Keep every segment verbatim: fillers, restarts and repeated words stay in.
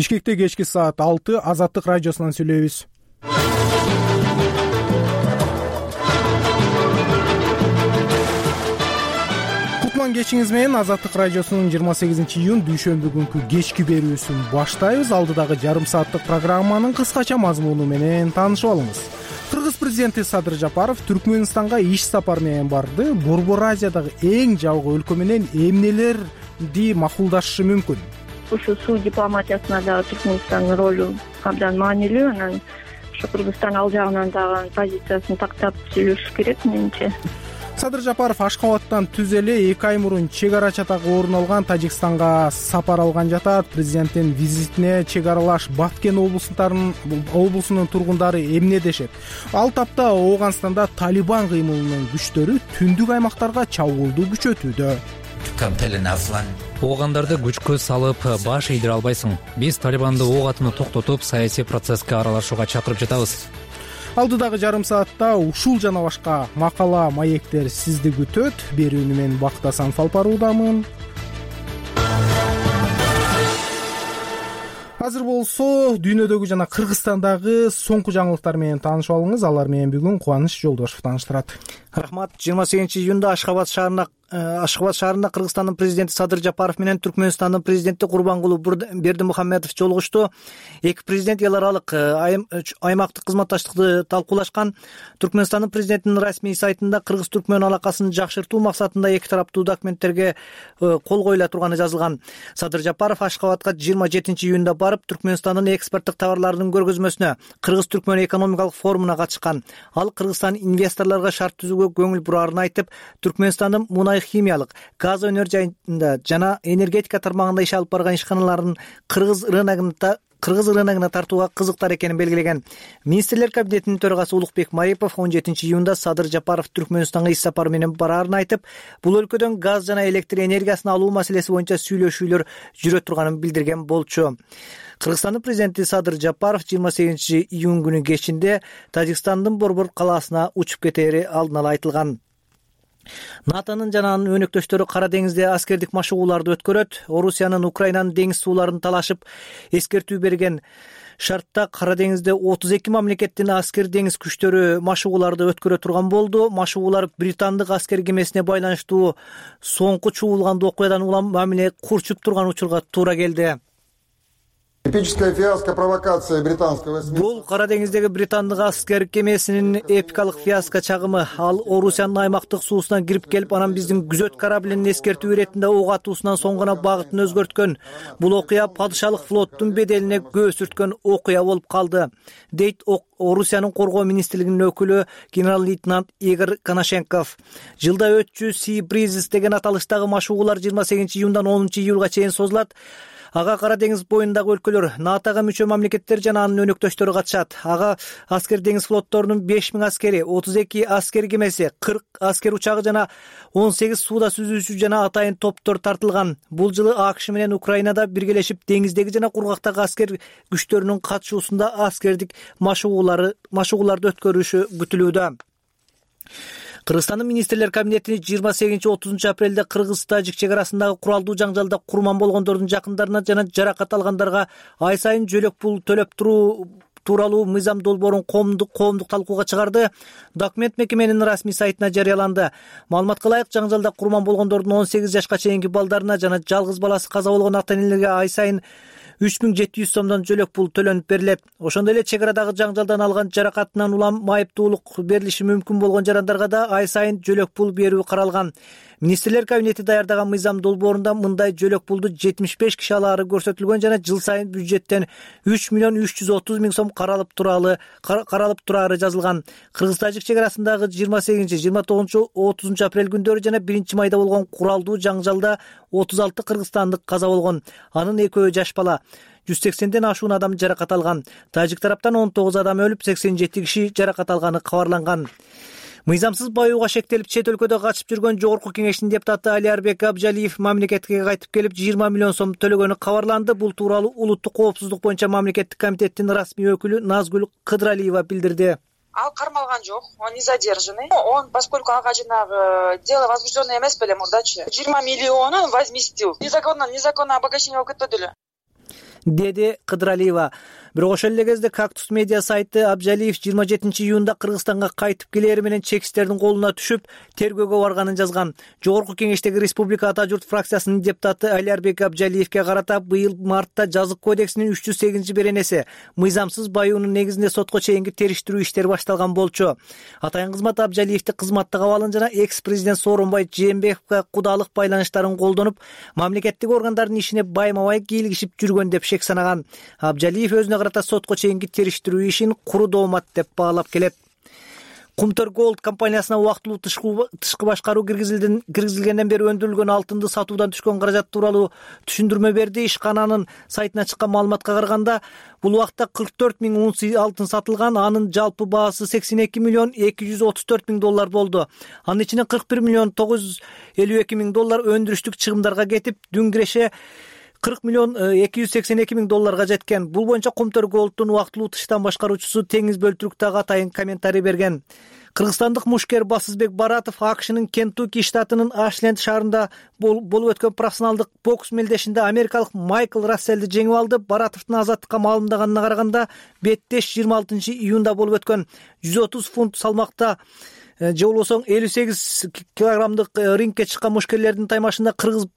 Бишкекте кечки саат алты Азаттык радиосунан сүйлөйбүз. Кутман кечиңиз менен Азаттык радиосунун жыйырма сегизинчи июнь дүйшөмбү күнкү кечки берүүсүн баштайбыз. Алдыдагы жарым сааттык программанын кыскача мазмуну менен таанышып алыңыз. Кыргыз президенти Садыр Жапаров Түркмөнстанга иш сапар менен барды. Борбор Азиядагы эң жабык өлкө менен эмнелерди макулдашы мүмкүн? Ушу суу дипломатиясына дагы Түркмөнстандын ролу абдан маанилүү. Анан ушу Кыргызстан ал жагынан дагы позициясын тактап сүйлөшүш керек менимче. Садыр Жапаров Ашкабадтан түз эле эки ай мурун чек ара чатагы орун алган Тажикстанга сапар алган жатат. Президенттин визитине чек аралаш Баткен облустарынын облусунун тургундары эмне дешет? Ал тапта Ооганстанда Талибан кыймылынын күчтөрү түндүк аймактарга чабуулду күчөтүүдө. Оогандарды күчкө салып баш ийдире албайсың. Биз Талибанды ок атууну токтотуп, саясий процесске аралашууга чакырып жатабыз. Алдыдагы жарым саатта ушул жана башка макала, маектер сизди күтөт. Берүүнү мен Бактасан Салпаруудамын. Азыр болсо дүйнөдөгү жана Кыргызстандагы соңку жаңылыктар менен таанышып алыңыз. Алар менен бүгүн Кубаныч Жолдошов тааныштырат. Рахмат. жыйырма сегизинчи июнда Ашкабад шаарына Ашкабад шаарында Кыргызстандын президенти Садыр Жапаров менен Түркмөнстандын президенти Курбангулы Бердимухамедов жолугушту. Эки президент эл аралык аймактык кызматташтыкты талкуулашкан. Түркмөнстандын президентинин расмий сайтында кыргыз-түркмөн алакасын жакшыртуу максатында эки тараптуу документтерге кол коюла турганы жазылган. Садыр Жапаров Ашкабадга жыйырма жетинчи июнда барып, Түркмөнстандын экспорттук товарларынын көргөзмөсүнө, Кыргыз-түркмөн экономикалык форумуна катышкан. Ал Кыргызстан инвесторлорго шарт түзүүгө көңүл бураарын айтып, Түркмөнстандын мунай химиялык, газ өнөр жайында жана энергетика тармагында иш алып барган ишканаларын кыргыз рыногунда кыргыз рыногуна тартууга кызыктар экенин белгилеген. Министрлер кабинетинин төрагасы Улукбек Марипов он жетинчи июнда Садыр Жапаров Түркмөнстанга иш сапары менен бараарын айтып, бул өлкөдөн газ жана электр энергиясын алуу маселеси боюнча сүйлөшүүлөр жүрө турганын билдирген болчу. Кыргызстандын президенти Садыр Жапаров жыйырма сегизинчи июнь күнү кечинде Тажикстандын Борбор калаасына учуп кетери алдын ала айтылган. НАТОнун жана анын өнөктөштөрү Кара деңизде аскердик машыгууларды өткөрөт. Орусиянын Украинанын деңиз сууларын талашып эскертүү берген шартта Кара деңизде отуз эки мамлекеттин аскер деңиз күчтөрү машыгууларды өткөрө турган болду. Машыгуулар британдык аскер кемесине байланыштуу соңку чуулган окуядан улам мамиле курчуп турган учурга туура келди. Эпическая фиаско провокация британского эсминца. Бул Кара деңиздеги британдык аскер кемесинин эпикалык фиаско чагымы. Ал Орусиянын аймактык суусуна кирип келип, анан биздин күзөт кораблинин эскертүү иретинде ок атуусунан соң гана багытын өзгөрткөн. Бул окуя падышалык флоттун беделине көз сүрткөн окуя болуп калды, дейт Орусиянын коргоо министрлигинин өкүлү генерал-лейтенант Игорь Коношенков. Жылда өтчү Sea Breezes деген аталыштагы машыгуулар жыйырма сегизинчи июндан онунчу июлга чейин созулат. Ага Кара деңиз боюндагы өлкөлөр, НАТОга мүчө мамлекеттер жана анын өнөктөштөрү катышат. Ага аскер деңиз флотторунун беш миң аскери, отуз эки аскер кемеси, кырк аскер учагы жана он сегиз сууда сүзүүчү жана атайын топтор тартылган. Бул жылы АКШ менен Украинада биргелешип деңиздеги жана кургактагы аскер күчтөрүнүн катышуусунда аскердик машыгуулары машыгууларды өткөрүшү күтүлүүдө. Кыргызстандын министрлер кабинети жыйырма сегизинчи отузунчу апрелде Кыргыз-Тажик чек арасындагы куралдуу жаңжалда курман болгондордун жакындарына жана жаракат алгандарга ай сайын жөлөк пул төлөп туруу тууралуу мыйзам долбоорун коомдук коомдук талкууга чыгарды. Документ мекеменин расмий сайтына жарыяланды. Маалыматка ылайык, жаңжалда курман болгондордун он сегиз жашка чейинки балдарына жана жалгыз баласы каза болгон ата-энелерге ай сайын үч миң жети жүз сомдон жөлөк пул төлөнүп берилет. Ошондой эле чек арадагы жаңжалдан алган жаракатынан улам майыптуулук берилиши мүмкүн болгон жарандарга да ай сайын жөлөк пул берүү каралган. Министрлер кабинети даярдаган мыйзам долбоорунда мындай жөлөк пулду жетимиш беш киши алаары көрсөтүлгөн жана жыл сайын бюджеттен үч миллион үч жүз отуз миң сом каралып туралы каралып турары жазылган. Кыргыз-Тажик чек арасындагы жыйырма сегизинчи, жыйырма тогузунчу, отузунчу апрель күндөрү жана биринчи майда болгон куралдуу жаңжалда отуз алты кыргызстандык каза болгон. Анын экөө жаш бала. жүз сексенден ашуун адам жаракат алган. Тажик тараптан он тогуз адам өлүп, сексен жети киши жаракат алганы кабарланган. Мыйзамсыз баюуга шектелип чет өлкөдө качып жүргөн Жогорку кеңештин депутаты Алиарбек Абжалиев мамлекетке кайтып келип жыйырма миллион сом төлөгөнү кабарланды. Бул тууралуу улуттук коопсуздук боюнча мамлекеттик комитеттин расмий өкүлү Назгүл Кыдыралиева билдирди. Ал кармалган жок, он не задержанный. Он, поскольку ага жанагы дело возбужденное эмес беле мурдачы. жыйырма миллионун возместил. Незаконно, незаконно обогащение болуп кетпеди эле. деди Кыдыралиева. Бирок ошол эле кезде Кактус медиа сайты Абжалиев жыйырма жетинчи июнда Кыргызстанга кайтып келери менен чекистердин колуна түшүп тергөөгө барганын жазган. Жогорку кеңештеги Республика Ата журт фракциясынын депутаты Алиарбек Абжалиевке карата быйыл мартта жазык кодексинин үч жүз сегизинчи беренеси мыйзамсыз баюунун негизинде сотко чейинки териштирүү иштери башталган болчу. Атайын кызмат Абжалиевди кызматтык абалын жана экс-президент Сооронбай Жээнбековго кудалык байланыштарын колдонуп, мамлекеттик органдардын ишине байма-бай кийлигишип жүргөн деп шек санаган. Абжалиев өзүнө карата сотко чейинки териштирүү ишин куру доомат деп баалап келет. Кумтөр Голд компаниясына убактылуу тышкы башкаруу киргизилгенден бери өндүрүлгөн алтынды сатуудан түшкөн каражат тууралуу түшүндүрмө берди. Ишкананын сайтына чыккан маалыматка караганда, бул убакта кырк төрт миң унция алтын сатылган, анын жалпы баасы сексен эки миллион эки жүз отуз төрт миң доллар болду. Анын ичинен кырк бир миллион тогуз жүз элүү эки миң доллар өндүрүштүк чыгымдарга кетип, дүн киреше кырк миллион эки жүз сексен эки миң долларга жеткен. Бул боюнча Кумтөр Голдтун убактылуу тыштан башкаруучусу Теңиз Бөлтүрүктагы атайын комментарий берген. Кыргызстандык мушкер Басызбек Баратов АКШнын Кентукки штатынын Ашленд шаарында болуп өткөн профессионалдык бокс мелдешинде америкалык Майкл Расселди жеңип алды. Баратовдун азаттыкка маалымдаганына караганда, беттеш жыйырма алтынчы июнда болуп өткөн жүз отуз фунт салмакта же болбосо элүү сегиз килограммдык рингке чыккан мушкерлердин таймашында кыргыз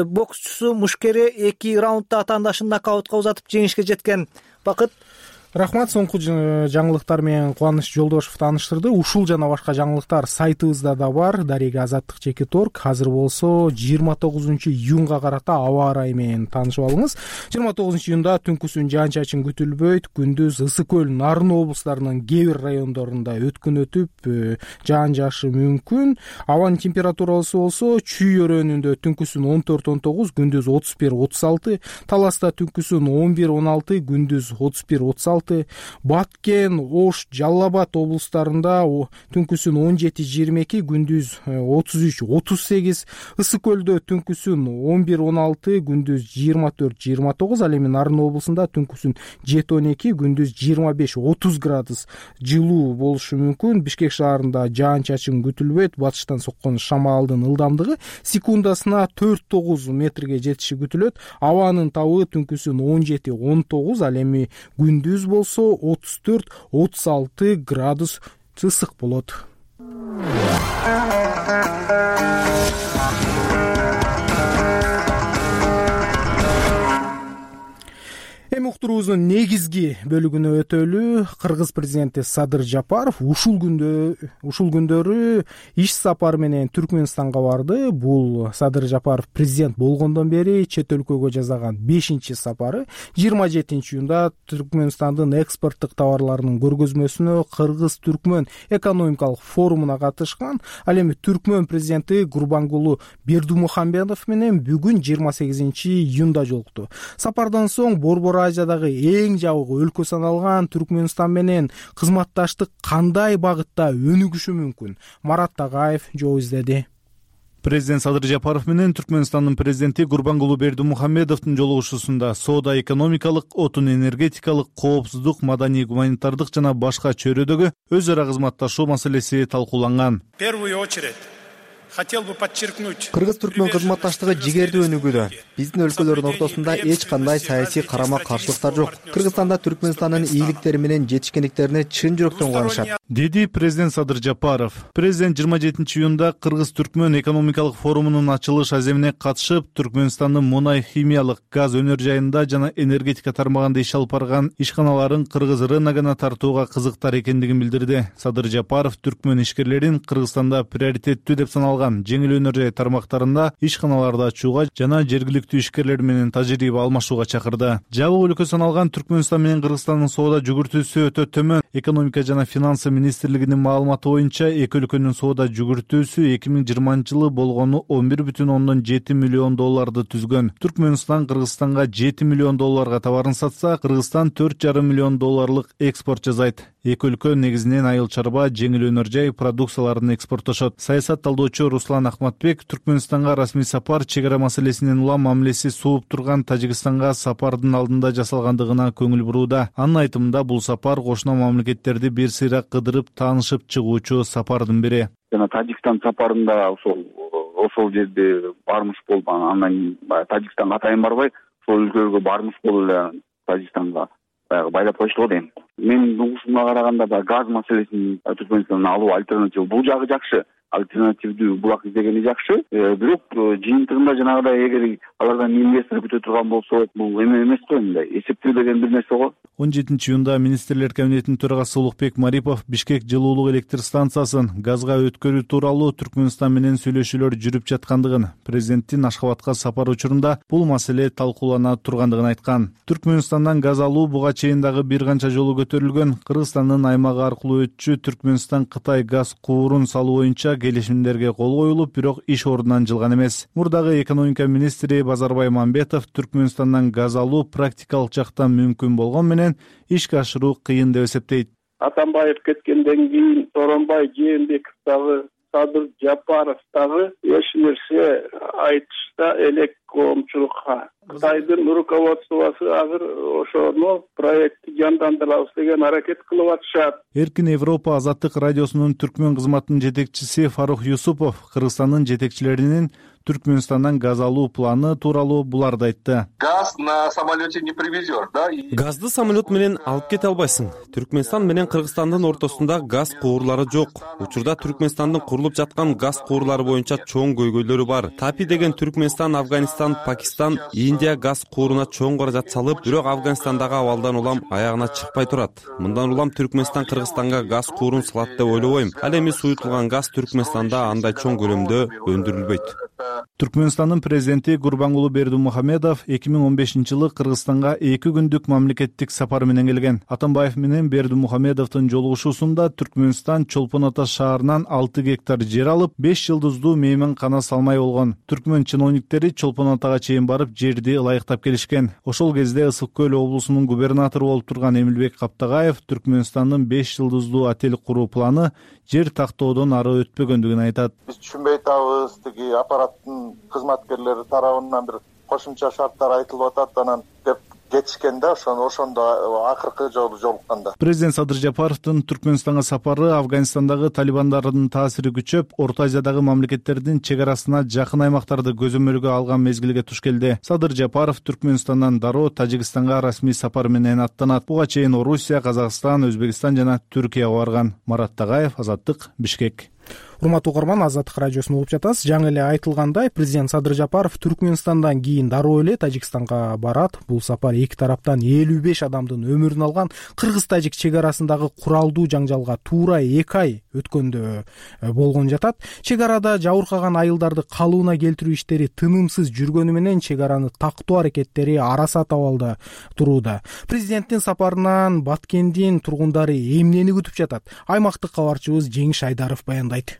боксчусу мушкери эки раундда атаандашын нокаутка узатып жеңишке жеткен. Бакыт. Рахмат. Соңку жаңылыктар менен Кубаныч Жолдошев тааныштырды. Ушул жана башка жаңылыктар сайтыбызда да бар. Дарега Азаттык чекит орг. Азыр болсо жыйырма тогузунчу июнга карата аба ырайы менен таанышып алыңыз. жыйырма тогузунчу июнда түнкүсүн жаан-чачын күтүлбөйт. Күндүз Ысык көл, Нарын облустарынын кээ бир райондорунда өткүн өтүп, жаан жаашы мүмкүн. Абанын температурасы болсо Чүй өрөөнүндө түнкүсүн он төрт он тогуз, күндүз отуз бир отуз алты, Таласта түнкүсүн он бир он алты, күндүз отуз бир отуз алты, Баткен, Ош, Жалал Абад облустарында түнкүсүн он жети жыйырма эки, күндүз отуз үч отуз сегиз, Ысык көлдө түнкүсүн он бир он алты, күндүз жыйырма төрт жыйырма тогуз, ал эми Нарын облусунда түнкүсүн жети он эки, күндүз жыйырма беш отуз градус жылуу болушу мүмкүн. Бишкек шаарында жаан-чачын күтүлбөйт. Батыштан соккон шамалдын ылдамдыгы секундасына төрт тогуз метрге жетиши күтүлөт. Абанын табы түнкүсүн он жети он тогуз, ал эми күндүз болсо отуз төрт отуз алты градус ысык болот. Эми уктуруубуздун негизги бөлүгүнө өтөлү. Кыргыз президенти Садыр Жапаров ушул күндө ушул күндөрү иш сапары менен Түркмөнстанга барды. Бул Садыр Жапаров президент болгондон бери чет өлкөгө жасаган бешинчи сапары. жыйырма жетинчи июнда Түркмөнстандын экспорттук товарларынын көргөзмөсүнө Кыргыз-Түркмөн экономикалык форумуна катышкан. Ал эми Түркмөн президенти Гурбангулу Бердимухамедов менен бүгүн жыйырма сегизинчи июнда жолукту. Сапардан соң Борбор Азиядагы эң жабык өлкө саналган Түркмөнстан менен кызматташтык кандай багытта өнүгүшү мүмкүн? Марат Тагаев жол издеди. Президент Садыр Жапаров менен Түркмөнстандын президенти Гурбангулу Бердимухамедовдун жолугушуусунда соода экономикалык, отун энергетикалык, коопсуздук, маданий гуманитардык жана башка чөйрөдөгү өз ара кызматташуу маселеси талкууланган. В первую очередь хотел бы подчеркнуть, Кыргыз-Түркмөн кызматташтыгы жигердүү өнүгүүдө. Биздин өлкөлөрдүн ортосунда эч кандай саясий карама-каршылыктар жок. Кыргызстанда Түркмөнстандын ийгиликтери менен жетишкендиктерине чын жүрөктөн кубанышат, деди президент Садыр Жапаров. Президент жыйырма жетинчи июнда Кыргыз-Түркмөн экономикалык форумунун ачылыш аземине катышып, Түркмөнстандын мунай, химиялык, газ өнөр жайында жана энергетика тармагында иш алып барган ишканаларын кыргыз рыногуна тартууга кызыктар экендигин билдирди. Садыр Жапаров Түркмөн ишкерлерин Кыргызстанда приоритеттүү деп саналган жеңил өнөр жай тармактарында ишканаларды ачууга жана жергиликтүү ишкерлер менен тажрыйба алмашууга чакырды. Жабык өлкө саналган Түркмөнстан менен Кыргызстандын соода жүгүртүүсү өтө төмөн. Экономика жана финансы министрлигинин маалыматы боюнча эки өлкөнүн соода жүгүртүүсү эки миң жыйырманчы жылы болгону он бир бүтүн ондон жети миллион долларды түзгөн. Түркмөнстан Кыргызстанга жети миллион долларга товарын сатса, Кыргызстан төрт жарым миллион долларлык экспорт жасайт. Эки өлкө негизинен айыл чарба, жеңил өнөр жай продукцияларын экспорттошот. Саясат талдоочу Руслан Ахматбек Түркмөнстанга расмий сапар чек ара маселесинен улам мамилеси сууп турган Тажикстанга сапардын алдында жасалгандыгына көңүл бурууда. Анын айтымында бул сапар кошуна мамлекеттерди бир сыйра кыдырып таанышып чыгуучу сапардын бири. Жана Тажикстан сапарында ошол ошол жерде бармыш болуп, анан Тажикстанга атайын барбай, ошол өлкөлөргө бармыш болуп эле Тажикстанга баягы байлап койушту го дейм. Менин угушумга караганда баягы газ маселесин Түркмөнстандан алуу альтернатива бул жагы жакшы. Альтернативдүү булак издегени жакшы. Бирок жыйынтыгында жанагыдай эгер алардан инвестор күтө турган болсо, бул эме эмес го, мындай эсептелбеген бир нерсе го. он жетинчи июнда министрлер кабинетинин төрагасы Улукбек Марипов Бишкек жылуулук электр станциясын газга өткөрүү тууралуу Түркмөнстан менен сүйлөшүүлөр жүрүп жаткандыгын, президенттин Ашхабадка сапары учурунда бул маселе талкуулана тургандыгын айткан. Түркмөнстандан газ алуу буга чейин дагы бир канча жолу көтөрүлгөн. Кыргызстандын аймагы аркылуу өтчү Түркмөнстан Кытай газ куурун салуу боюнча келишимдерге кол коюлуп, бирок иш ордунан жылган эмес. Мурдагы экономика министри Базарбай Мамбетов Түркмөнстандан газ алуу практикалык жактан мүмкүн болгон менен ишке ашыруу кыйын деп эсептейт. Атамбаев кеткенден кийин Сооронбай Жээнбеков дагы, Садыр Жапаров дагы эч нерсе айтышта элек коомчулукка. Кытайдын руководствосу азыр ошону проектти жандандырабыз деген аракет кылып атышат. Эркин Европа азаттык радиосунун түркмөн кызматынын жетекчиси Фарух Юсупов Кыргызстандын жетекчилеринин Түркмөнстандан газ алуу планы тууралуу буларды айтты. Газ на самолете не привезешь, да? Газды самолет менен алып кете албайсың. Түркмөнстан менен Кыргызстандын ортосунда газ куурлары жок. Учурда Түркмөнстандын курулуп жаткан газ куурлары боюнча чоң көйгөйлөрү бар. Тапи деген Түркмөнстан, Афганистан, Пакистан, Индия газ кууруна чоң каражат салып, бирок Афганистандагы абалдан улам аягына чыкпай турат. Мындан улам Түркмөнстан Кыргызстанга газ куурун салат деп ойлобойм. Ал эми суютулган газ Түркмөнстанда андай чоң көлөмдө өндүрүлбөйт. Түркмөнстандын президенти Гурбангулы Бердимухамедов эки миң он бешинчи жылы Кыргызстанга эки күндүк мамлекеттик сапар менен келген. Атамбаев менен Бердимухамедовдун жолугушуусунда Түркмөнстан Чолпон Ата шаарынан алты гектар жер алып, беш жылдыздуу мейман кана салмай болгон. Түркмөн чиновниктери Чолпон Атага чейин барып жерди ылайыктап келишкен. Ошол кезде Ысык Көл облусунун губернатору болуп турган Эмилбек Каптагаев Түркмөнстандын беш жылдыздуу отель куруу планы жер тактоодон ары өтпөгөндүгүн айтат. Биз түшүнбөй атабыз, тиги аппараттын кызматкерлери тарабынан бир кошумча шарттар айтылып атат, анан деп кетишкен да, ошондо ошондо акыркы жолу жолукканда. Президент Садыр Жапаровдун Түркмөнстанга сапары Афганистандагы талибандардын таасири күчөп, Орто Азиядагы мамлекеттердин чек арасына жакын аймактарды көзөмөлгө алган мезгилге туш келди. Садыр Жапаров Түркмөнстандан дароо Тажикстанга расмий сапар менен аттанат. Буга чейин Орусия, Казакстан, Өзбекстан жана Түркияга барган. Марат Тагаев, Азаттык, Бишкек. Урматтуу угарман, Азаттык радиосун угуп жатасыз. Жаңы эле айтылгандай, президент Садыр Жапаров Түркмөнстандан кийин дароо эле Тажикстанга барат. Бул сапар эки тараптан элүү беш адамдын өмүрүн алган кыргыз-тажик чек арасындагы куралдуу жаңжалга туура эки ай өткөндө болгон жатат. Чек арада жабыркаган айылдарды калыбына келтирүү иштери тынымсыз жүргөнү менен чек араны тактоо аракеттери арасат абалда турууда. Президенттин сапарынан Баткендин тургундары эмнени күтүп жатат? Аймактык кабарчыбыз Жеңиш Айдаров баяндайт.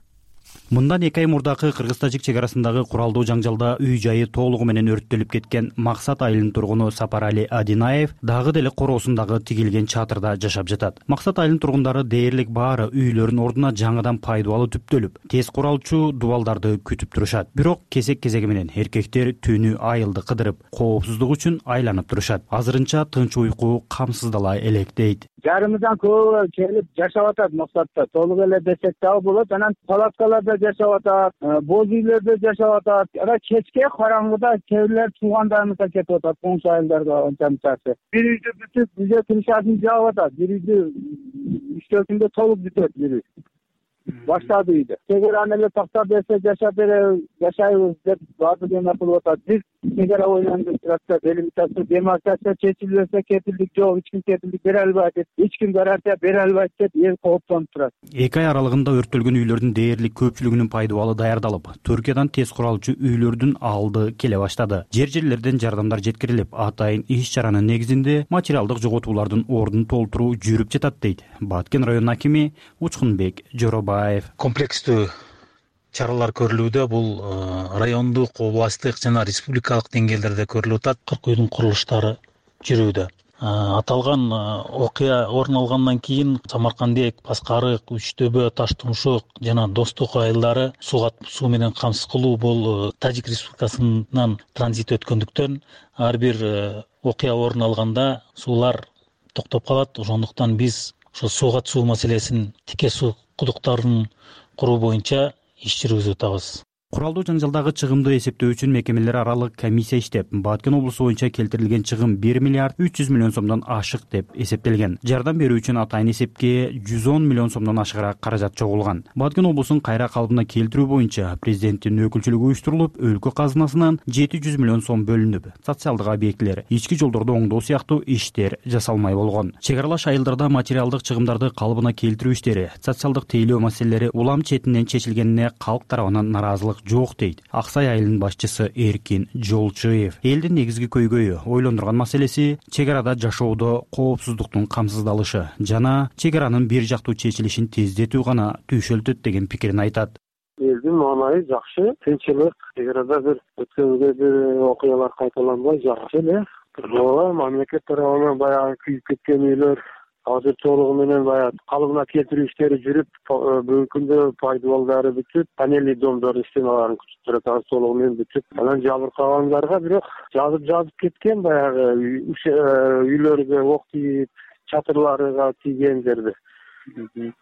Мындан эки ай мурдакы кыргыз-тажик чек арасындагы куралдуу жаңжалда үй жайы толугу менен өрттөлүп кеткен Максат айылынын тургуну Сапарали Адинаев дагы деле короосундагы тигилген чатырда жашап жатат. Максат айылынын тургундары дээрлик баары үйлөрүнүн ордуна жаңыдан пайдубалы түптөлүп, тез куралчу дубалдарды күтүп турушат. Бирок кезек-кезеги менен эркектер түнү айылды кыдырып, коопсуздук үчүн айланып турушат. Азырынча тынч уйку камсыздала элек дейт. Жарымыздан көбү келип жашап атат Максатта. Толук эле десек дагы болот. Анан палаткаларда жашап атат, боз үйлөрдө жашап атат. Ара кечке караңгыда кээ бирлер туугандарыбызга кетип атат, коңшу айылдарга онча-мынчасы. Бир үйдү бүтүп, үйдө крышасын жаап атат. Бир үйдү үчтөсүндө толук бүтөт бир үй. Баштады үйдө. Чек араны эле тактап берсе жашап беребиз, жашайбыз деп баардык эме кылып атат. Биз чек ара ойлонуп турат, делимитация, демаркация чечилбесе кепилдик жок, эч ким кепилдик бере албайт деп, эч ким гарантия бере албайт деп эл кооптонуп турат. эки ай аралыгында өрттөлгөн үйлөрдүн дээрлик көпчүлүгүнүн пайдубалы даярдалып, Түркиядан тез куралчу үйлөрдүн алды келе баштады. Жер-жерлерден жардамдар жеткирилип, атайын иш-чаранын негизинде материалдык жоготуулардын ордун толтуруу жүрүп жатат дейт Баткен районунун акими Учкунбек Жоробаев. Комплекстүү чаралар көрүлүүдө, бул райондук, областтык жана республикалык деңгээлдерде көрүлүп атат. кырк үйдүн курулуштары жүрүүдө. Аталган окуя орун алгандан кийин Самаркандек, Паскарык, Үчтөбө, Таштумшук жана Достук айылдары сууга суу менен камсыз кылуу бул Тажик Республикасынан транзит өткөндүктөн ар бир окуя орун алганда суулар токтоп калат. Ошондуктан биз ошо сууга суу маселесин, тике суу кудуктарын куруу боюнча иш жүргүзүп атабыз. куралдуу жаңжалдагы чыгымды эсептөө үчүн мекемелер аралык комиссия иштеп, Баткен облусу боюнча келтирилген чыгым бир миллиард үч жүз миллион сомдон ашык деп эсептелген. Жардам берүү үчүн атайын эсепке жүз он миллион сомдон ашыгыраак каражат чогулган. Баткен облусун кайра калыбына келтирүү боюнча президенттин өкүлчүлүгү уюштурулуп, өлкө казынасынан жети жүз миллион сом бөлүнүп, социалдык объектилер, ички жолдорду оңдоо сыяктуу иштер жасалмай болгон. Чек аралаш айылдарда материалдык чыгымдарды калыбына келтирүү иштери, социалдык тейлөө маселелери улам четинен чечилгенине калк тарабынан наразылык жок дейт Ак Сай айылынын башчысы Эркин Жолчуев. Элдин негизги көйгөйү, ойлондурган маселеси чек арада жашоодо коопсуздуктун камсыздалышы жана чек аранын бир жактуу чечилишин тездетүү гана түйшөлтөт деген пикирин айтат. Элдин маанайы жакшы, тынччылык, чек арада бир өткөнгө бир окуялар кайталанбай жакшы эле. Ооба, мамлекет тарабынан баягы күйүп кеткен үйлөр азыр толугу менен баягы калыбына келтирүү иштери жүрүп, бүгүнкү күндө пайдалуу баары бүтүп, панельный домдордун стеналарын күтүп турат, азыр толугу менен бүтүп. Анан жабыркагандарга бирок жазып жазып кеткен баягы үйлөргө ок тийип, чатырларга тийгендерди.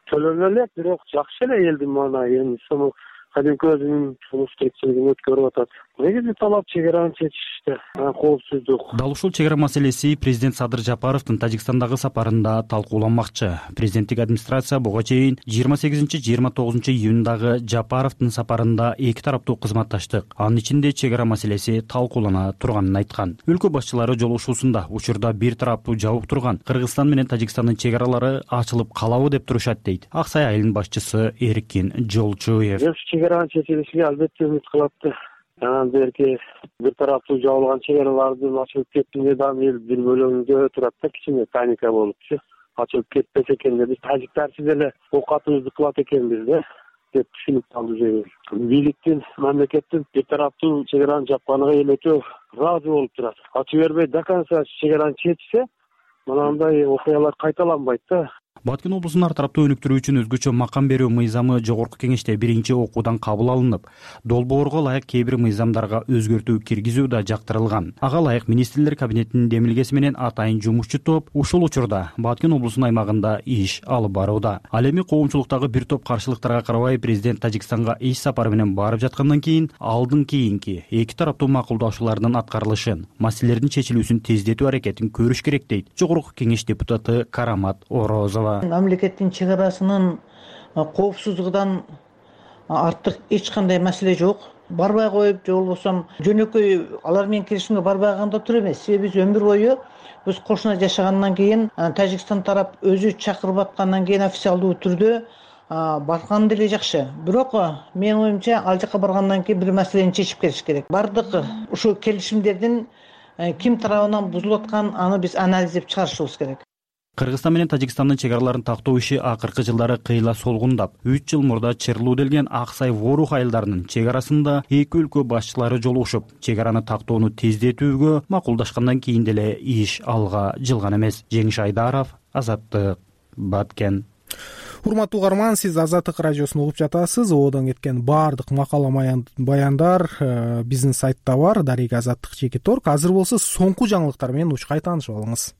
Төлөнө элек, бирок жакшы эле элдин маанайы. Эми ошону кадимки өзүнүн сунуш кетчилигин өткөрүп атат. Негизи талап чек араны чечиште, коопсуздук. Дал ушул чек ара маселеси президент Садыр Жапаровдун Тажикстандагы сапарында талкууланмакчы. Президенттик администрация буга чейин жыйырма сегизинчи жыйырма тогузунчу июндагы Жапаровдун сапарында эки тараптуу кызматташтык, анын ичинде чек ара маселеси талкуулана турганын айткан. Өлкө башчылары жолугушуусунда учурда бир тараптуу жабык турган Кыргызстан менен Тажикстандын чек аралары ачылып калабы деп турушат дейт Ак Сай айылынын башчысы Эркин Жолчуев. Чек аранын чечилишине албетте үмүт кылат. Анан берки бир тараптуу жабылган чек аралардын ачылып кеттине дагы эл бир бөлөгүндө турат да, кичине паника болупчу. Ачылып кетпесе экен деп, биз тажиктарчы деле оокатыбызды кылат экенбиз да деп түшүнүп калды. Бийликтин, мамлекеттин бир тараптуу чек араны жапканына эл өтө ыраазы болуп турат. Ачып бербей до конца чек араны чечсе, мынандай окуялар кайталанбайт да. Баткен облусун ар тараптуу өнүктүрүү үчүн өзгөчө макам берүү мыйзамы жогорку кеңеште биринчи окуудан кабыл алынып, долбоорго ылайык кээ бир мыйзамдарга өзгөртүү киргизүү да жактырылган. Ага ылайык министрлер кабинетинин демилгеси менен атайын жумушчу топ ушул учурда Баткен облусунун аймагында иш алып барууда. Ал эми коомчулуктагы бир топ каршылыктарга карабай президент Тажикстанга иш сапары менен барып жаткандан кийин алдын кийинки эки тараптуу макулдашуулардын аткарылышын, маселелердин чечилүүсүн тездетүү аракетин көрүш керек дейт жогорку кеңеш депутаты Карамат Орозова. Мамлекеттин чек арасынын коопсуздугунан артык эч кандай маселе жок. Барбай коюп, же болбосо жөнөкөй алар менен келишимге барбай калганда тур эмес. Себеби биз өмүр бою биз кошуна жашагандан кийин Тажикстан тарап өзү чакырып аткандан кийин официалдуу түрдө барган деле жакшы. Бирок менин оюмча ал жака баргандан кийин бир маселени чечип келиш керек. Бардык ушул келишимдердин ким тарабынан бузулуп атканын аны биз анализдеп чыгарышыбыз керек. Кыргызстан менен Тажикстандын чек араларын тактоо иши акыркы жылдары кыйла солгундап, үч жыл мурда Чырлуу делген Ак Сай Ворух айылдарынын чек арасында эки өлкө башчылары жолугушуп, чек араны тактоону тездетүүгө макулдашкандан кийин деле иш алга жылган эмес. Жеңиш Айдаров, Азаттык, Баткен. Урматтуу угарман, сиз Азаттык радиосун угуп жатасыз. Оодон кеткен баардык макала баяндар биздин сайтта бар, Дарега Азаттык чеки торг. Азыр болсо соңку жаңылыктар менен учкай таанышып алыңыз.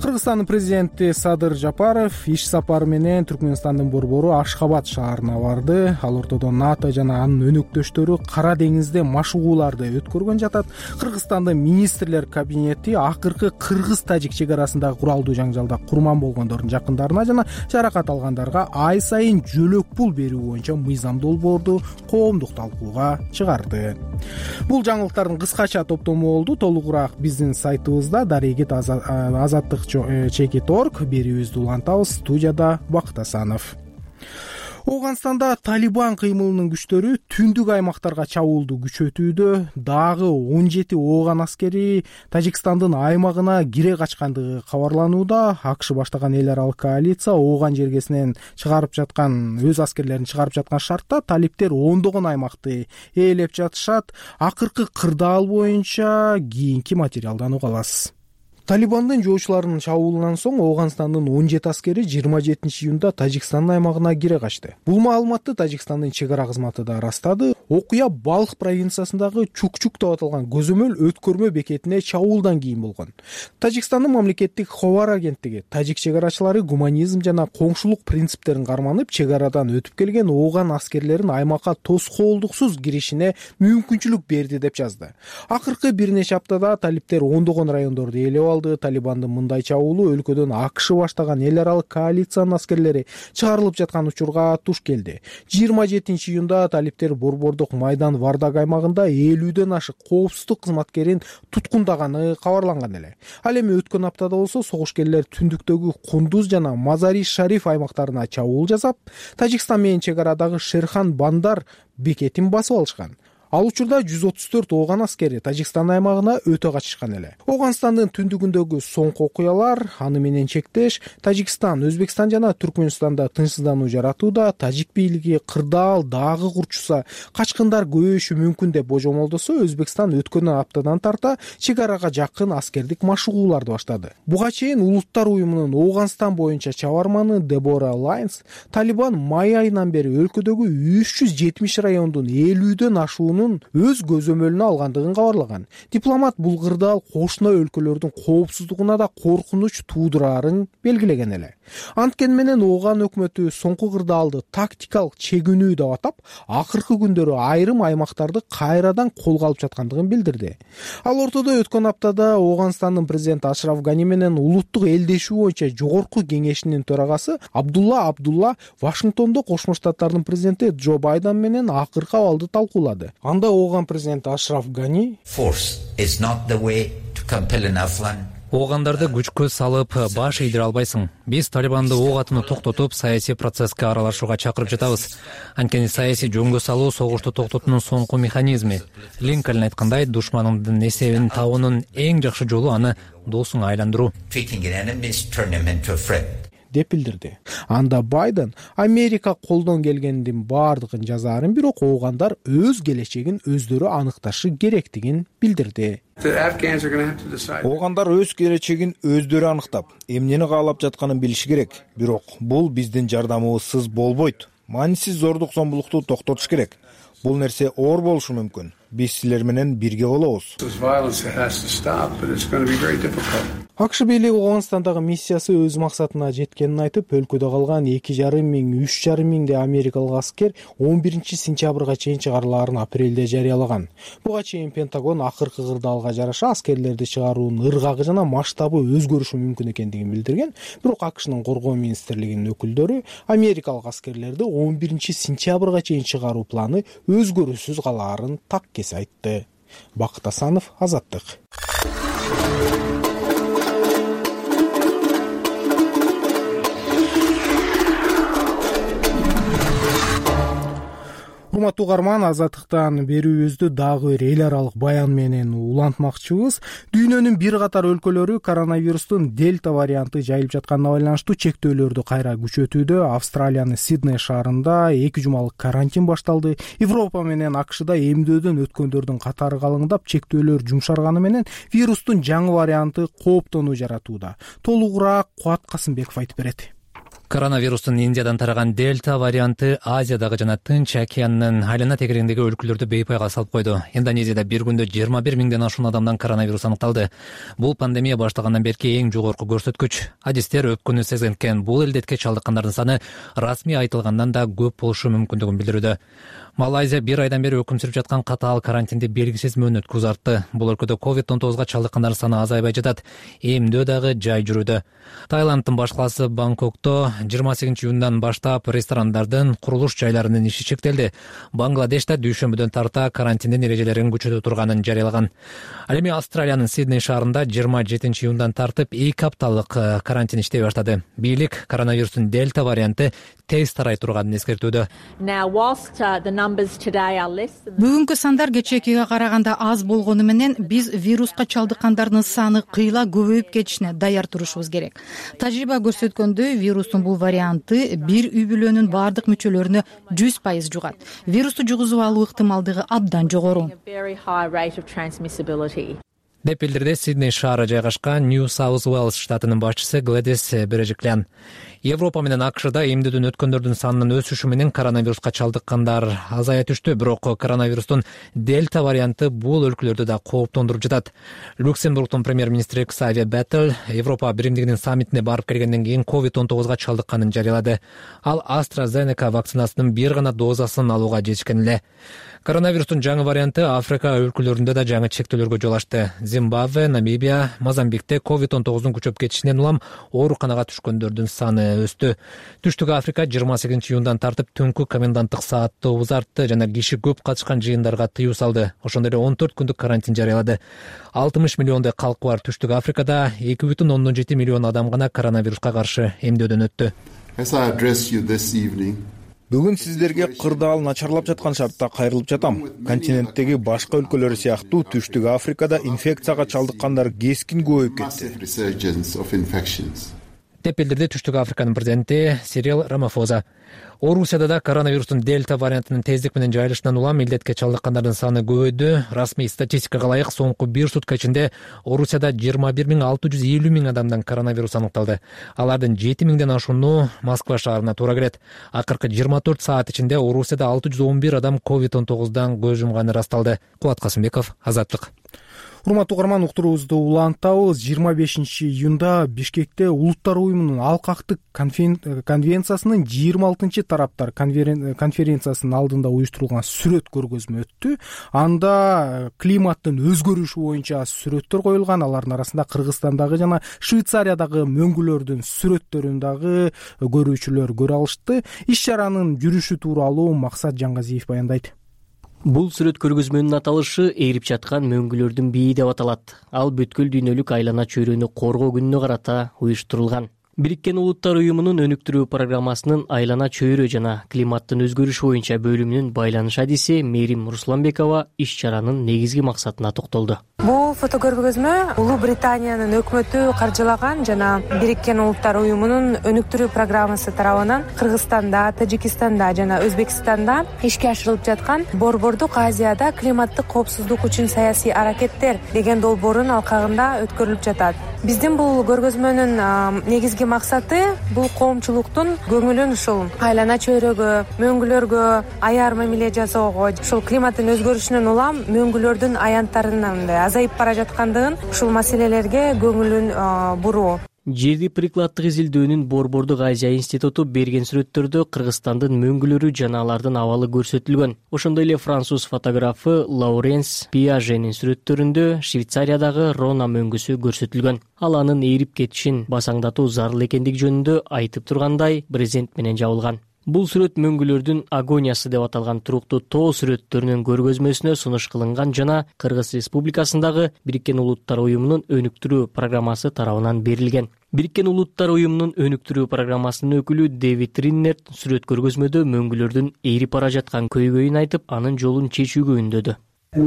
Кыргызстандын президенти Садыр Жапаров иш сапары менен Түркмөнстандын борбору Ашхабад шаарына барды. Ал ортодо НАТО жана анын өнөктөштөрү Кара деңизде машыгууларды өткөргөн жатат. Кыргызстандын министрлер кабинети акыркы кыргыз-тажик чек арасындагы куралдуу жаңжалда курман болгондордун жакындарына жана жаракат алгандарга ай сайын жөлөк пул берүү боюнча мыйзам долбоорду коомдук талкууга чыгарды. Бул жаңылыктардын кыскача топтому болду. Толугураак биздин сайтыбызда Дарегет Азаттык чеки торг берүүбүздү улантабыз. Студияда Бакыт Асанов. Ооганстанда Талибан кыймылынын күчтөрү түндүк аймактарга чабуулду күчөтүүдө. Дагы он жети ооган аскери Тажикстандын аймагына кире качкандыгы кабарланууда. АКШ баштаган эл аралык коалиция ооган жергесинен чыгарып жаткан өз аскерлерин чыгарып жаткан шартта талиптер ондогон аймакты ээлеп жатышат. Акыркы кырдаал боюнча кийинки материалдан уга аласыз. Талибандын жоочуларынын чабуулунан соң Ооганстандын он жети аскери жыйырма жетинчи июнда Тажикстандын аймагына кире качты. Бул маалыматты Тажикстандын чек ара кызматы да ырастады. Окуя Балх провинциясындагы Чукчук деп аталган көзөмөл өткөрмө бекетине чабуулдан кийин болгон. Тажикстандын мамлекеттик хабар агенттиги тажик чек арачылары гуманизм жана коңшулук принциптерин карманып, чек арадан өтүп келген Ооган аскерлерин аймакка тоскоолдуксуз киришине мүмкүнчүлүк берди деп жазды. Акыркы бир нече аптада талиптер ондогон райондорду ээлеп алды. Талибандын мындай чабуулу өлкөдөн АКШ баштаган эл аралык коалициянын аскерлери чыгарылып жаткан учурга туш келди. жыйырма жетинчи июнда талиптер Борбордук майдан Вардаг аймагында элүүдөн ашык коопсуздук кызматкерин туткундаганы кабарланган эле. Ал эми өткөн аптада болсо согушкерлер түндүктөгү Кундуз жана Мазари Шариф аймактарына чабуул жасап, Тажикстан менен чек арадагы Шерхан Бандар бекетин басып алышкан. Ал учурда жүз отуз төрт Ооган аскери Тажикстан аймагына өтө качышкан эле. Ооганстандын түндүгүндөгү соңку окуялар аны менен чектеш Тажикстан, Өзбекстан жана Түркмөнстанда тынчсыздануу жаратууда, тажик бийлиги кырдаал дагы курчуса, качкындар көбөйүшү мүмкүн деп божомолдосо, Өзбекстан өткөн аптадан тарта чек арага жакын аскердик машыгууларды баштады. Буга чейин Улуттар уюмунун Ооганстан боюнча чабарманы Дебора Лайнс Талибан май айынан бери өлкөдөгү үч жүз жетимиш райондун элүүдөн ашуунун өз көзөмөлүнө алгандыгын кабарлаган. Дипломат бул кырдаал кошуна өлкөлөрдүн коопсуздугуна да коркунуч туудурарын белгилеген эле. Анткени менен Ооган өкмөтү соңку кырдаалды тактикалык чегүүнүү деп атап, акыркы күндөрү айрым аймактарды кайрадан колго алып жаткандыгын билдирди. Ал ортодо өткөн аптада Ооганстандын президенти Ашраф Гани менен улуттук элдешүү боюнча жогорку кеңешинин төрагасы Абдулла Абдулла Вашингтондо Кошмо Штаттардын президенти Джо Байден менен акыркы абалды талкуулады. Анда Ооган президенти Ашраф Гани Оогандарды күчкө салып баш ийдире албайсың. Биз Талибанды ок атууну токтотуп, саясий процесске аралашууга чакырып жатабыз. Анткени саясий жөнгө салуу согушту токтотуунун соңку механизми. Линкольн айткандай, душманыңдын эсебин табуунун эң жакшы жолу аны досуңа айландыруу деп билдирди. Анда Байден Америка колдон келгендин баардыгын жазаарын, бирок Оогандар өз келечегин өздөрү аныкташы керектигин билдирди. Оогандар өз келечегин өздөрү аныктап, эмнени каалап жатканын билиши керек. Бирок бул биздин жардамыбызсыз болбойт. Маанисиз зордук зомбулукту токтотуш керек. Бул нерсе оор болушу мүмкүн. Биз силер менен бирге болобуз. АКШ бийлиги Ооганстандагы миссиясы өз максатына жеткенин айтып, өлкөдө калган эки жарым миң, үч жарым миңдей америкалык аскер он биринчи сентябрга чейин чыгарылаарын апрелде жарыялаган. Буга чейин Пентагон акыркы кырдаалга жараша аскерлерди чыгаруунун ыргагы жана масштабы өзгөрүшү мүмкүн экендигин билдирген. Бирок АКШнын коргоо министрлигинин өкүлдөрү америкалык аскерлерди он биринчи сентябрга чейин чыгаруу планы өзгөрүүсүз калаарын так кесе айтты. Бакыт Асанов, Азаттык. Урматтуу угарман, Азаттыктан берүүбүздү дагы бир эл аралык баян менен улантмакчыбыз. Дүйнөнүн бир катар өлкөлөрү коронавирустун дельта варианты жайылып жатканына байланыштуу чектөөлөрдү кайра күчөтүүдө. Австралиянын Сидней шаарында эки жумалык карантин башталды. Европа менен АКШда эмдөөдөн өткөндөрдүн катары калыңдап, чектөөлөр жумшарганы менен вирустун жаңы варианты кооптонуу жаратууда. Толугураак Кубат Касымбеков айтып берет. Коронавирустун Индиядан тараган дельта варианты Азиядагы жана Тынч океанынын айлана тегерегиндеги өлкөлөрдү бейпайга салып койду. Индонезияда бир күндө жыйырма бир миңден ашуун адамдан коронавирус аныкталды. Бул пандемия башталгандан берки эң жогорку көрсөткүч. Адистер өпкөнү сезген бул элдетке чалдыккандардын саны расмий айтылгандан да көп болушу мүмкүндүгүн билдирүүдө. Малайзия бир айдан бери өкүм сүрүп жаткан катаал карантинди белгисиз мөөнөткө узартты. Бул өлкөдө ковид он тогузга чалдыккандардын саны азайбай жатат. Эмдөө дагы жай жүрүүдө. Таиланддын баш калаасы Бангкокто жыйырма сегизинчи июндан баштап ресторандардын, курулуш жайларынын иши чектелди. Бангладеште дүйшөмбүдөн тарта карантиндин эрежелерин күчөтө турганын жарыялаган. Ал эми Австралиянын Сидней шаарында жыйырма жетинчи июндан тартып эки апталык карантин иштей баштады. Бийлик коронавирустун дельта варианты тез тарай турганын эскертүүдө. Бүгүнкү сандар кечээкиге караганда аз болгону менен биз вируска чалдыккандардын саны кыйла көбөйүп кетишине даяр турушубуз керек. Тажрыйба көрсөткөндөй, вирустун бул варианты бир үй бүлөнүн баардык мүчөлөрүнө жүз пайыз жугат. Вирусту жугузуп алуу ыктымалдыгы абдан жогору. деп билдирди Сидней шаары жайгашкан Нью Саус Уэльс штатынын башчысы Глэдис Бережиклян. Европа менен АКШда эмдөөдөн өткөндөрдүн санынын өсүшү менен коронавируска чалдыккандар азая түштү, бирок коронавирустун дельта варианты бул өлкөлөрдү да кооптондуруп жатат. Люксембургдун премьер-министри Ксавие Беттель Европа биримдигинин саммитине барып келгенден кийин ковид он тогузга чалдыкканын жарыялады. Ал AstraZeneca вакцинасынын бир гана дозасын алууга жетишкен эле. Коронавирустун жаңы варианты Африка өлкөлөрүндө да жаңы чектөөлөргө жол ачты. Зимбабве, Намибия, Мозамбикте ковид он тогуздун күчөп кетишинен улам ооруканага түшкөндөрдүн саны өстү. Түштүк Африка жыйырма сегизинчи июндан тартып түнкү коменданттык саатты узартты жана киши көп катышкан жыйындарга тыюу салды. Ошондой эле он төрт күндүк карантин жарыялады. алтымыш миллиондой калкы бар Түштүк Африкада эки бүтүн ондон жети миллион адам гана коронавируска каршы эмдөөдөн өттү. Бүгүн сиздерге кырдаал начарлап жаткан шартта кайрылып жатам. Континенттеги башка өлкөлөр сыяктуу Түштүк Африкада инфекцияга чалдыккандар кескин көбөйүп кетти, деп билдирди Түштүк Африканын президенти Сирил Рамафоза. Орусияда да коронавирустун дельта вариантынын тездик менен жайылышынан улам илдетке чалдыккандардын саны көбөйдү. Расмий статистикага ылайык соңку бир сутка ичинде Орусияда жыйырма бир миң алты жүз элүү миң адамдан коронавирус аныкталды. Алардын жети миңден ашууну Москва шаарына туура келет. Акыркы жыйырма төрт саат ичинде Орусияда алты жүз он бир адам ковид он тогуздан көз жумганы расталды. Кубат Касымбеков, Азаттык. Урматтуу угарман, уктуруубузду улантабыз. жыйырма бешинчи июнда Бишкекте Улуттар уюмунун алкактык конвенциясынын жыйырма алтынчы тараптар конференциясынын алдында уюштурулган сүрөт көргөзмө өттү. Анда климаттын өзгөрүшү боюнча сүрөттөр коюлган. Алардын арасында Кыргызстандагы жана Швейцариядагы мөңгүлөрдүн сүрөттөрүн дагы көрүүчүлөр көрө алышты. Иш чаранын жүрүшү тууралуу Максат Жангазиев баяндайт. Бул сүрөт көргөзмөнүн аталышы эрип жаткан мөңгүлөрдүн бийи деп аталат. Ал бүткүл дүйнөлүк айлана чөйрөнү коргоо күнүнө карата уюштурулган. Бириккен Улуттар уюмунун өнүктүрүү программасынын айлана чөйрө жана климаттын өзгөрүшү боюнча бөлүмүнүн байланыш адиси Мерим Русланбекова иш чаранын негизги максатына токтолду. Бул фотокөргөзмө Улуу Британиянын өкмөтү каржылаган жана Бириккен Улуттар уюмунун өнүктүрүү программасы тарабынан Кыргызстанда, Тажикистанда жана Өзбекстанда ишке ашырылып жаткан Борбордук Азияда климаттык коопсуздук үчүн саясий аракеттер деген долбоорун алкагында өткөрүлүп жатат. Биздин бул көргөзмөнүн негизги максаты бул коомчулуктун көңүлүн ушул айлана чөйрөгө, мөңгүлөргө аяр мамиле жасоого, ушул климаттын өзгөрүшүнөн улам мөңгүлөрдүн аянттарынын азайып бара жаткандыгын, ушул маселелерге көңүлүн буруу. Жерди прикладдык изилдөөнүн Борбордук Азия институту берген сүрөттөрдө Кыргызстандын мөңгүлөрү жана алардын абалы көрсөтүлгөн. Ошондой эле француз фотографы Лауренс Пиаженин сүрөттөрүндө Швейцариядагы Рона мөңгүсү көрсөтүлгөн. Ал анын эрип кетишин басаңдатуу зарыл экендиги жөнүндө айтып тургандай брезент менен жабылган. Бул сүрөт мөңгүлөрдүн агониясы деп аталган туруктуу тоо сүрөттөрүнүн көргөзмөсүнө сунуш кылынган жана Кыргыз Республикасындагы Бириккен Улуттар уюмунун өнүктүрүү программасы тарабынан берилген. Бириккен Улуттар уюмунун өнүктүрүү программасынын өкүлү Дэвид Риннерт сүрөт көргөзмөдө мөңгүлөрдүн эрип бара жаткан көйгөйүн айтып, анын жолун чечүүгө үндөдү. Биз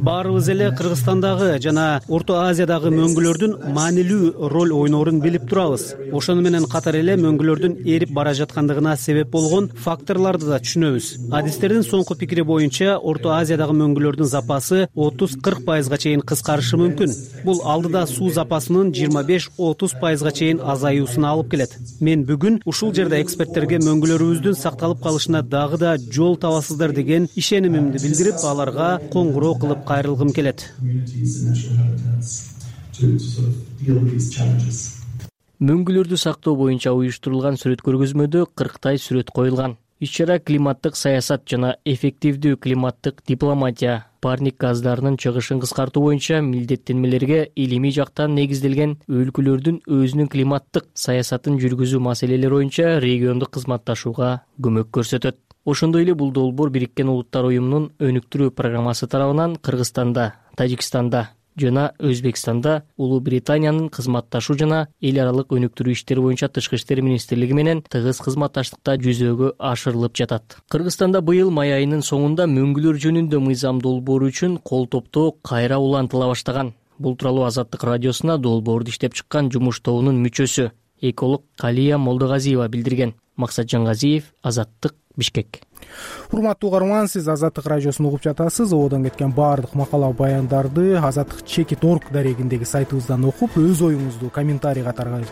баарыбыз эле Кыргызстандагы жана Орто Азиядагы мөңгүлөрдүн маанилүү роль ойноорун билип турабыз. Ошону менен катар эле мөңгүлөрдүн эрип бара жаткандыгына себеп болгон факторлорду да түшүнөбүз. Адистердин соңку пикири боюнча Орто Азиядагы мөңгүлөрдүн запасы отуз кырк пайызга чейин кыскарышы мүмкүн. Бул алдыда суу запасынын жыйырма беш отуз пайызга чейин азаюусуна алып келет. Мен бүгүн ушул жерде эксперттерге мөңгүлөрүбүздүн сакталып калышына дагы да жол табасыздар деген ишенимимди билдирип, аларга коңгуроо кылып кайрылгым келет. Мөңгүлөрдү сактоо боюнча уюштурулган сүрөт көргөзмөдө кырктай сүрөт коюлган. Иш-чара климаттык саясат жана эффективдүү климаттык дипломатия, парник газдарынын чыгышын кыскартуу боюнча милдеттенмелерге илимий жактан негизделген өлкөлөрдүн өзүнүн климаттык саясатын жүргүзүү маселелери боюнча региондук кызматташууга көмөк көрсөтөт. Ошондой эле бул долбоор Бириккен Улуттар уюмунун өнүктүрүү программасы тарабынан Кыргызстанда, Тажикстанда жана Өзбекстанда Улуу Британиянын кызматташуу жана эл аралык өнүктүрүү иштери боюнча Тышкы иштер министрлиги менен тыгыз кызматташтыкта жүзөөгө ашырылып жатат. Кыргызстанда быйыл май айынын соңунда мөңгүлөр жөнүндө мыйзам долбоору үчүн кол топтоо кайра улантыла баштаган. Бул тууралуу Азаттык радиосуна долбоорду иштеп чыккан жумуш тобунун мүчөсү эколог Калия Молдогазиева билдирген. Максат Жангазиев, Азаттык, Бишкек. Урматтуу угарман, сиз Азаттык радиосун угуп жатасыз. Ободон кеткен баардык макала баяндарды азаттык чекит точка орг дарегиндеги сайтыбыздан окуп, өз оюңузду комментарий катары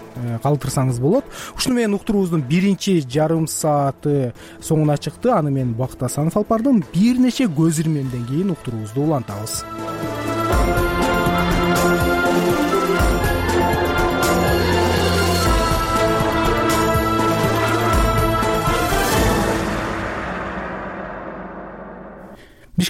калтырсаңыз болот. Ушуну менен уктуруубуздун биринчи жарым сааты соңуна чыкты. Аны мен Бакыт Асанов алып бардым. Бир нече көз ирмемден кийин уктуруубузду улантабыз.